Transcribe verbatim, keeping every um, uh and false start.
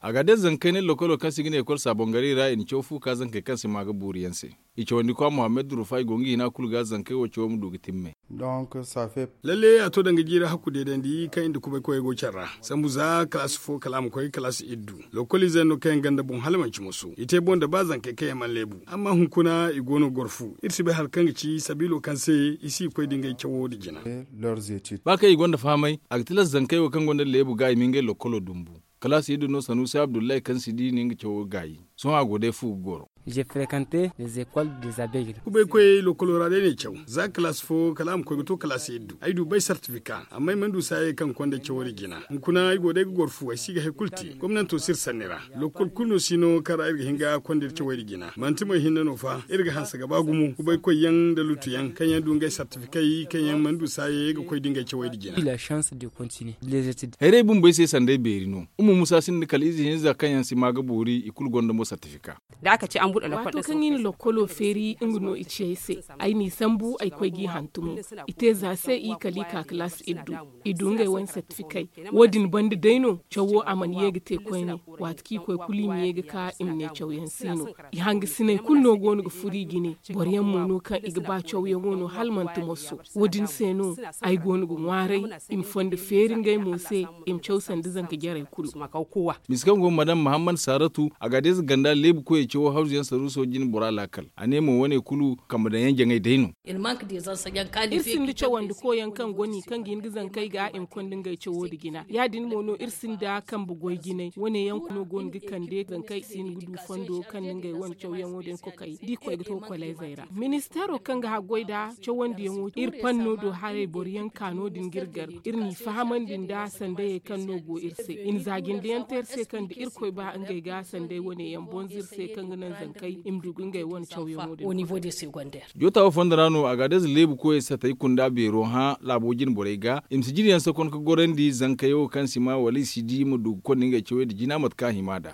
Agaadez zankey ne lokolo kaŋ se i ga ne ekol saabongaray ra i na caw fu ka zankey kaŋ se maa ga boori yaŋ se. I cawandi kwa muhammad rufa i go nga hina kulu ga zankey wo cawo ma du ga timme. Lalle a to danga jiiri hakku deedandi kaŋ i nda kubay koyey go care ra sambu za kalaasi fo kala a ma koy kalaasi iddu. Lokoliizey no kaŋ yaŋ ganda boŋ hala manci moso i te boŋ da ba zankey kaŋ yaŋ mana leebu. Amma hunkuna i go no ga goro fu iri si bay hari kaŋ ga ci sabiilo kaŋ se i si ga koy da ngey cawo nda jina. Ba kaŋ i gonda fahamay a ga tilas zankey wo kaŋ gonda leebu ga i ma ngey lokolo dumbu. Kalaasi iddu no sanuusi abdullahi kaŋ si di no nga cawo gaayi. Sohõ a go day fu ga goro. Kubay koyey lokolo ra day no ay caw za kalaasi fo kala a ma koy ga to kalaasi iddu ay du bay sartifika amma ay mana du saayey kaŋ ga konda cawo nda jina. Hunkuna ay go day ga goro fu ay si ga hari kulu te gomnanto si iri sanni ra. Lokol kulu no si no kaŋ ra iri ga hin ga konda iri cawey nda jina manti mo ay hinne no fa iri ga hanse ga ba gumo kubay koy yaŋ nda lutu yaŋ kaŋ yaŋ du ngey sartifikey kaŋ yaŋ mana du saayey ga koy da ngey cawey nda jina. Hayray bumbey se sanday beeri no. Umma musa sinda kala ize hinza kaŋ yaŋ si maa ga boori i kulu gonda mo sartifika. Waato kaŋ i na lokkolo feeri nga no i ci ay se. Ay n'i sambu ay koy g'i hantumo. I te za se i kala i ka kalaasi iddu. I du ngey wane sartifikey. Wo- din banda day no cawo a mana ye ga te koyne. Waati kaŋ i koy kulu i ma ye ga ka i ma ne cawyaŋ si no. I hangasiney kulu no go no ga furo i jine. Boro yaŋ mo no kaŋ i ga ba cawyaŋo no hala manti moso. Wo- din se no ay go no ga ŋwaaray i ma fondo feeri ngey mo se. I ma caw sanda zanka jarey kulu. Mise kaŋ go madam muhammad saratu a ga deeza ganda leebu koyey cawo hawzu yaŋ saruuso jine bora laakal. A ne mo wane kulu kambe daŋ yaŋ jaŋay day no. Iri sinda cawandi koyaŋ kaŋ go no i kaŋ ga hin ga zankey ga i ma konda ngey cawo nda jina ya- din mo no iri sinda kambe goy jinay wane yaŋ no go no ga kande zankey si hin ga du fondo kaŋ nda ngey wane cawyaŋo din kokay da i koy ga to koleezey ra. Ministeero kaŋ ga haggoy nda cawandiyaŋo iri panno do haray boro yaŋ ka no- din ga iri gar. Iri n'i fahamandi nda sandayey kaŋ no go iri se i na za jinde yaŋ te iri se kaŋ da irkoy ba ngey ga sanday wane yaŋ bonza iri se kaŋ ga naŋ zankey i ma du ga ngey wane cawyaŋo din. Joota wo fondo ra no a ga adayze leebu koyey satey kunda beero hã laabo jine borey ga i ma si jine yaŋ sakon ga gorandi zankey wo kaŋ si ma wala i si di ma du ga konda ngey cawey nda jina mate kaŋ a hima nd'a.